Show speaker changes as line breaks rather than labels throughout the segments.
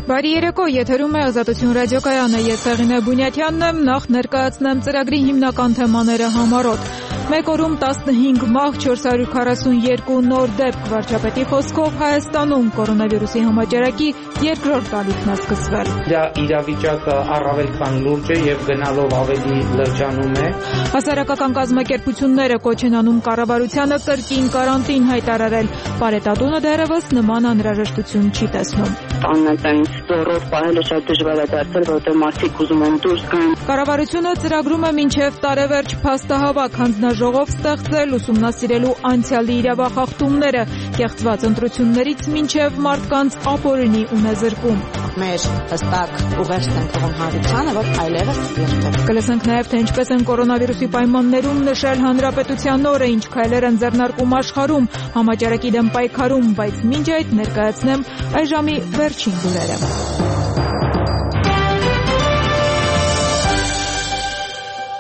Բարի երեկո, եթերում է Ազատություն ռադիոկայանը, ես Հեղինե Բունյաթյանն եմ, նախ ներկայացնեմ ծրագրի հիմնական թեմաները համառոտ։ Մեկ օրում 15 մահ, 442 նոր դեպք, վարչապետի խոսքով Հայաստանում կորոնավիրուսի համաճարակի երկրորդ ալիքն է սկսվել։
Դա իրավիճակը առավել քան լուրջ է եւ գնալով ավելի լրջանում է։
Հասարակական կազմակերպությունները կոչ են անում կառավարությանը կրկին կարանտին հայտարարել։ Պարետատունը դեռևս նման անհրաժեշտություն չի տեսնում։
Աննատային ստորով պահելը շատ դժվար է դարձել, որտեղ մարդիկ ուզում են դուրս գան։
Կառավարությունը ծրագրում է մինչև տարեվերջ փաստահավաք հանձնաժողով ստեղծել, ուսումնասիրելու անցյալի իրավախախտումները, կեղծված ընտրություններից մինչև մարդկանց ապօրինի ունեզրկում։
Մեր հստակ ուղերձ են թողում հանրությանը, որ այլևս երբեք։
Կլսենք նաև, թե ինչպես են կորոնավիրուսի պայմաններում նշել հանրապետության օրը, ինչ քայլեր են ձեռնարկում աշխարհում, համաճարակի դեմ պայքարում, բայց մինչ այդ ներկայացնեմ այժմի վերջին լուրերը։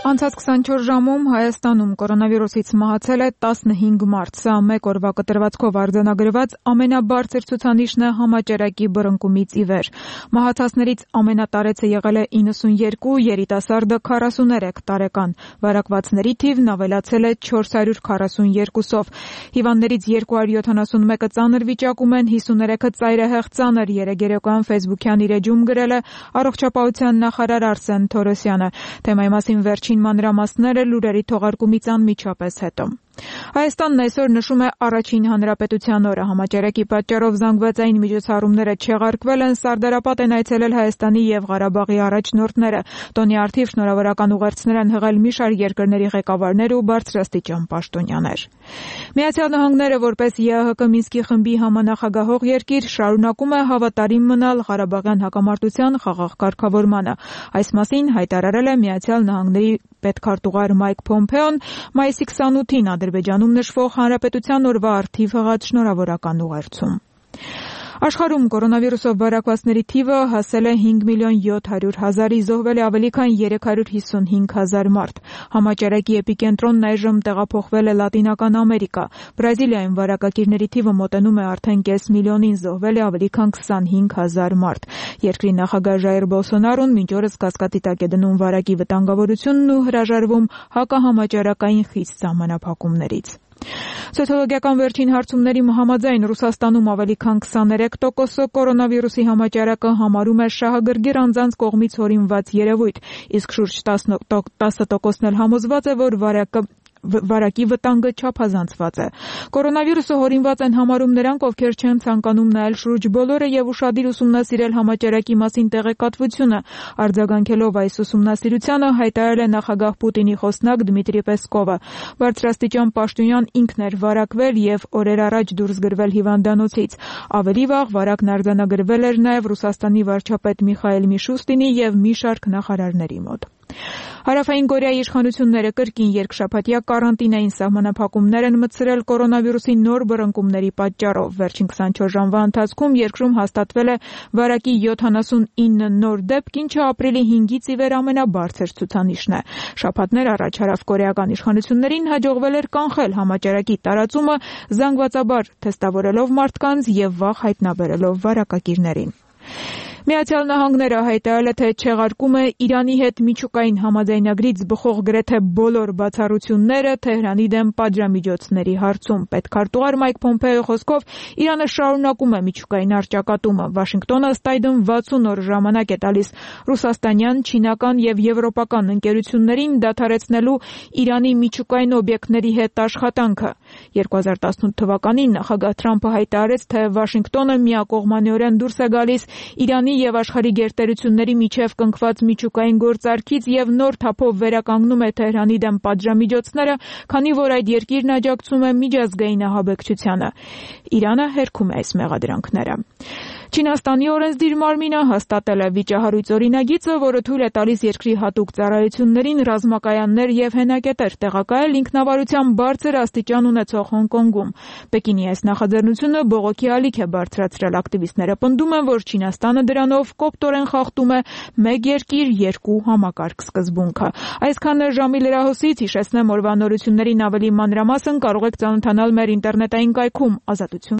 Անցած 24 ժամում Հայաստանում կորոնավիրուսից մահացել է 15 մարդ։ Սա մեկ օրվա կտրվածքով արձանագրված ամենաբարձր ցուցանիշն է համաճարակի բռնկումից ի վեր։ Մահացածներից ամենատարեցը եղել է 92, երիտասարդը 43 տարեկան։ Վարակվածների թիվն ավելացել է 442-ով։ Հիվանդներից 271-ը ծանր վիճակում են, 53-ը ծայրահեղ ծանր, երեկոյան Facebook-յան իր էջում գրել է առողջապահության նախարար Արսեն Թորոսյանը։ Թեմայի մասին վերջին մանրամասները լուրերի թողարկումից անմիջապես հետո։ Հայաստանն այսօր նշում է առաջին հանրապետության օրը։ Համաճարակի պատճառով զանգվածային միջոցառումները չեղարկվել են, սարդարապատ են այցելել Հայաստանի եւ Ղարաբաղի առաջնորդները։ Տոնի առթիվ շնորհավորական ուղերձներ են հղել մի շարք երկրների ղեկավարներ ու բարձրաստիճան պաշտոնյաներ։ Միացյալ Նահանգները, որպես ԵԱՀԿ Մինսկի խմբի համանախագահող երկիր, շարունակում է հավատարիմ մնալ Ղարաբաղյան հակամարտության խաղաղ կարգավորմանը։ Այս մասին հայտարարել է Միացյալ Նահանգների պետքարտուղար Մայք Փոմփեոն մայիսի 28-ին Ադրբեջանում նշվող հանրապետության օրվա առթիվ հղած շնորհավորական ուղերձում։ Աշխարհում կորոնավիրուսով վարակվածների թիվը հասել է 5.700.000-ի, զոհվել է ավելի քան 355,000 մարդ։ Համաճարակի էպիկենտրոնն այժմ տեղափոխվել է Լատինական Ամերիկա։ Բրազիլիայում վարակակիրների թիվը մոտենում է արդեն կես միլիոնին, զոհվել է ավելի քան 25,000 մարդ։ Երկրի նախագահ Ժայր Բոլսոնարոն մինչ օրս կասկածի տակ է դնում վարակի վտանգավորությունն ու հրաժարվում հակահամաճարակային խիստ սահմանափակումներից։ Սոցիոլոգիական վերջին հարցումների համաձայն Ռուսաստանում ավելի քան 23%-ը կորոնավիրուսի համաճարակը համարում է շահագրգիռ անձանց կողմից հորինված երևույթ, իսկ շուրջ 10%-ն էլ համոզված է, որ վարակի վտանգը չափազանցված է։ Կորոնավիրուսը հորինված են համարում նրանք, ովքեր չեն ցանկանում նայել շուրջ բոլորը եւ ուշադիր ուսումնասիրել համաճարակի մասին տեղեկատվությունը։ Արձագանքելով այս ուսումնասիրությանը հայտարարել է նախագահ Պուտինի խոսնակ Դմիտրի Պեսկովը։ Բարձրաստիճան պաշտոնյան ինքն էր վարակվել եւ օրեր առաջ դուրս գրվել հիվանդանոցից։ Ավելի վաղ վարակն արձանագրվել էր նաեւ Ռուսաստանի վարչապետ Միխայել Միշուստինի եւ մի շարք նախարարների մոտ։ Հարավային Կորեայի իշխանությունները կրկին երկշաբաթյա կարանտին էին, սահմանափակումներ են մտցրել կորոնավիրուսի նոր բռնկումների պատճառով։ Վերջին 24 ժամվա ընթացքում երկրում հաստատվել է վարակի 79 նոր դեպք, ինչը ապրիլի 5-ից ի վեր ամենաբարձր ցուցանիշն է։ Շաբաթներ առաջ հարավկորեական իշխանություններին հաջողվել էր կանխել համաճարակի տարածումը, զանգվածաբար թեստավորելով մարդկանց եւ վաղ հայտնաբերելով վարակակիրներին։ Միացյալ Նահանգները հայտարարել է, թե չեղարկում է Իրանի հետ միջուկային համաձայնագրից բխող գրեթե բոլոր բացառությունները Թեհրանի դեմ պատժամիջոցների հարցում։ Պետքարտուղար Մայք Փոմփեոյի խոսքով Իրանը շարունակում է միջուկային առճակատումը։ Վաշինգտոնը ըստ այդմ 60 օր ժամանակ է տալիս ռուսաստանյան, չինական եւ եվրոպական ընկերություններին դադարեցնելու Իրանի միջուկային օբյեկտների հետ աշխատանքը։ 2018 թվականին նախագահ Թրամփը հայտարարեց, թե Վաշինգտոնը միակողմանիորեն դուրս է գալիս Իրանի եւ աշխարհի գերտերությունների միջև կնքված միջուկային գործարքից եւ նոր թափով վերականգնում է Թեհրանի դեմ պատժամիջոցները, քանի որ այդ երկիրն աջակցում է միջազգային ահաբեկչությանը։ Իրանը հերքում է այս մեղադրանքները։ Չինաստանի օրենսդիր մարմինը հաստատել է վիճահարույց օրինագիծը, որը թույլ է տալիս երկրի հատուկ ծառայություններին ռազմակայաններ եւ հենակետեր տեղակայել ինքնավարության բարձր աստիճան ունեցող Հոնկոնգում։ Պեկինի այս նախաձեռնությունը բողոքի ալիք է բարձրացրել։ Ակտիվիստները պնդում են, որ Չինաստանը դրանով կոպտորեն խախտում է մեկ երկիր, երկու համակարգ սկզբունքը։ Այսքան ժամի լրահոսից հիշեցնեմ օրվա նորություններին ավելի մանրամասն կարող եք ծանոթանալ մեր ինտերնետային կայքում ազատություն